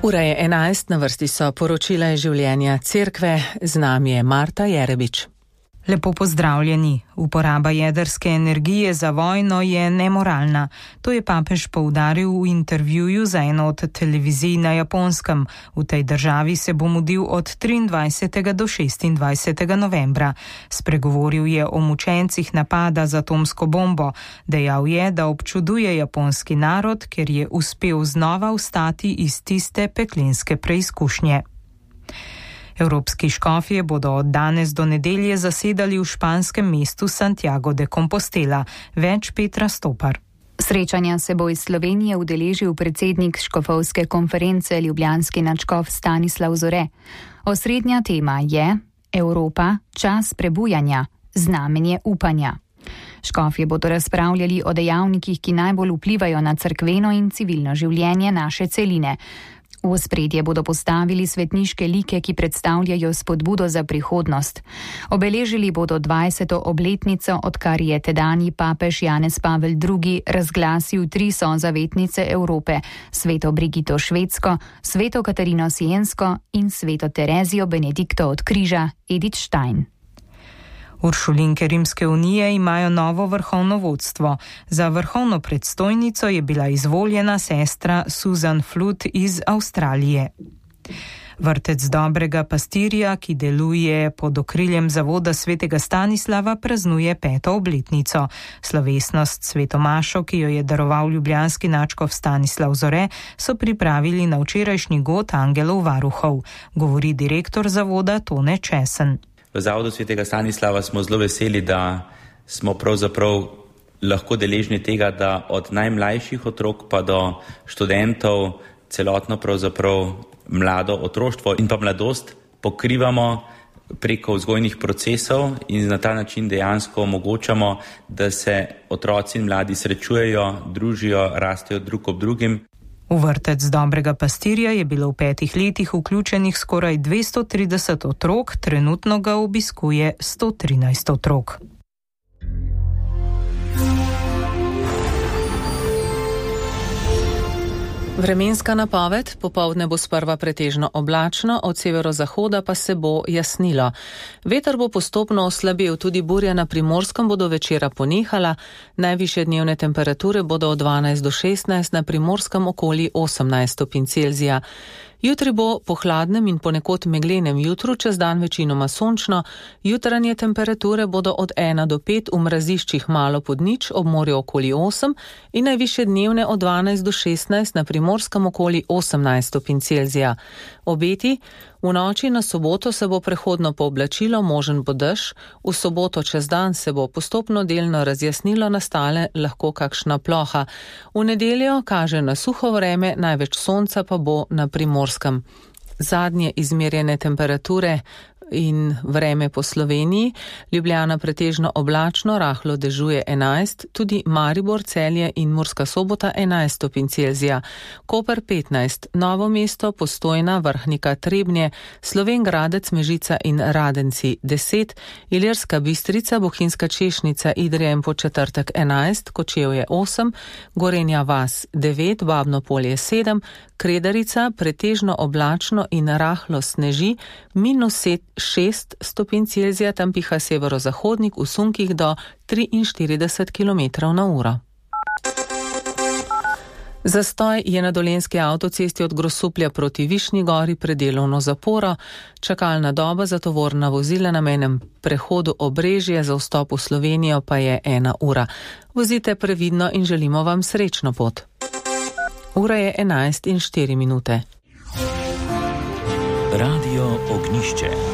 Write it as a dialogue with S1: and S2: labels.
S1: Ura je 11, na vrsti so poročila iz življenja cerkve, z nami je Marta Jerebič.
S2: Lepo pozdravljeni. Uporaba jedrske energije za vojno je nemoralna. To je papež poudaril v intervjuju za eno od televizij na Japonskem. V tej državi se bo mudil od 23. do 26. novembra. Spregovoril je o mučencih napada z atomsko bombo. Dejal je, da občuduje japonski narod, ker je uspel znova vstati iz tiste peklenske preizkušnje. Evropski škofje bodo od danes do nedelje zasedali v španskem mestu Santiago de Compostela. Več Petra Stopar.
S3: Srečanja se bo iz Slovenije udeležil predsednik škofovske konference ljubljanski nadškof Stanislav Zore. Osrednja tema je Evropa, čas prebujanja, znamenje upanja. Škofje bodo razpravljali o dejavnikih, ki najbolj vplivajo na cerkveno in civilno življenje naše celine. V ospredje bodo postavili svetniške like, ki predstavljajo spodbudo za prihodnost. Obeležili bodo 20. obletnico, odkar je tedanji papež Janez Pavel II. Razglasil 3 sozavetnice Evrope, sveto Brigito Švedsko, sveto Katarino Siensko in sveto Terezijo Benedikto od križa Edith Stein.
S2: Uršulinke Rimske unije imajo novo vrhovno vodstvo. Za vrhovno predstojnico je bila izvoljena sestra Susan Flood iz Avstralije. Vrtec Dobrega pastirja, ki deluje pod okriljem zavoda svetega Stanislava, praznuje 5. obletnico. Slovesnost svetomašo, ki jo je daroval ljubljanski nadškof Stanislav Zore, so pripravili na včerajšnji god angelov varuhov, govori direktor zavoda Tone Česen.
S4: V zavodu svetega Stanislava smo zelo veseli, da smo pravzaprav lahko deležni tega, da od najmlajših otrok pa do študentov celotno pravzaprav mlado otroštvo in pa mladost pokrivamo preko vzgojnih procesov in na ta način dejansko omogočamo, da se otroci in mladi srečujejo, družijo, rastejo drug ob drugim.
S2: V vrtec Dobrega pastirja je bilo v 5 letih vključenih skoraj 230 otrok, trenutno ga obiskuje 113 otrok.
S1: Vremenska napoved: popoldne bo sprva pretežno oblačno, od severozahoda pa se bo jasnilo. Veter bo postopno oslabel, tudi burja na Primorskem bodo večera ponehala, najvišje dnevne temperature bodo od 12 do 16, na Primorskem okoli 18 stopinj Celzija. Jutri bo po hladnem in ponekod meglenem jutru, čez dan večinoma sončno, jutranje temperature bodo od 1 do 5, v mraziščih malo pod nič, ob morju okoli 8 in najvišje dnevne od 12 do 16, na Primorskem okoli 18 stopinj Celzija. Obeti: v noči na soboto se bo prehodno pooblačilo, možen bo dež, v soboto čez dan se bo postopno delno razjasnilo, nastale lahko kakšna ploha. V nedeljo kaže na suho vreme, največ sonca pa bo na Primorskem. Zadnje izmerjene temperature in vreme po Sloveniji: Ljubljana pretežno oblačno, rahlo dežuje 11, tudi Maribor, Celje in Murska Sobota 11 stopinj Celzija, Koper 15, Novo mesto, Postojna, Vrhnika, Trebnje, Slovenj Gradec, Mežica in Radenci 10, Ilirska Bistrica, Bohinjska Češnica, Idrija in Podčetrtek 11, Kočevje 8, Gorenja vas 9, Babno Polje 7, Kredarica pretežno oblačno in rahlo sneži, -6 stopinj Celzija, tam piha severozahodnik, v sunkih do 43 km/h. Zastoj je na Dolenjski avtocesti od Grosuplja proti Višnji Gori pred delovno zaporo. Čakalna doba za tovorna vozila na mejnem prehodu Obrežje za vstop v Slovenijo pa je 1 ura. Vozite previdno in želimo vam srečno pot. Ura je 11:04.
S5: Radio Ognišče.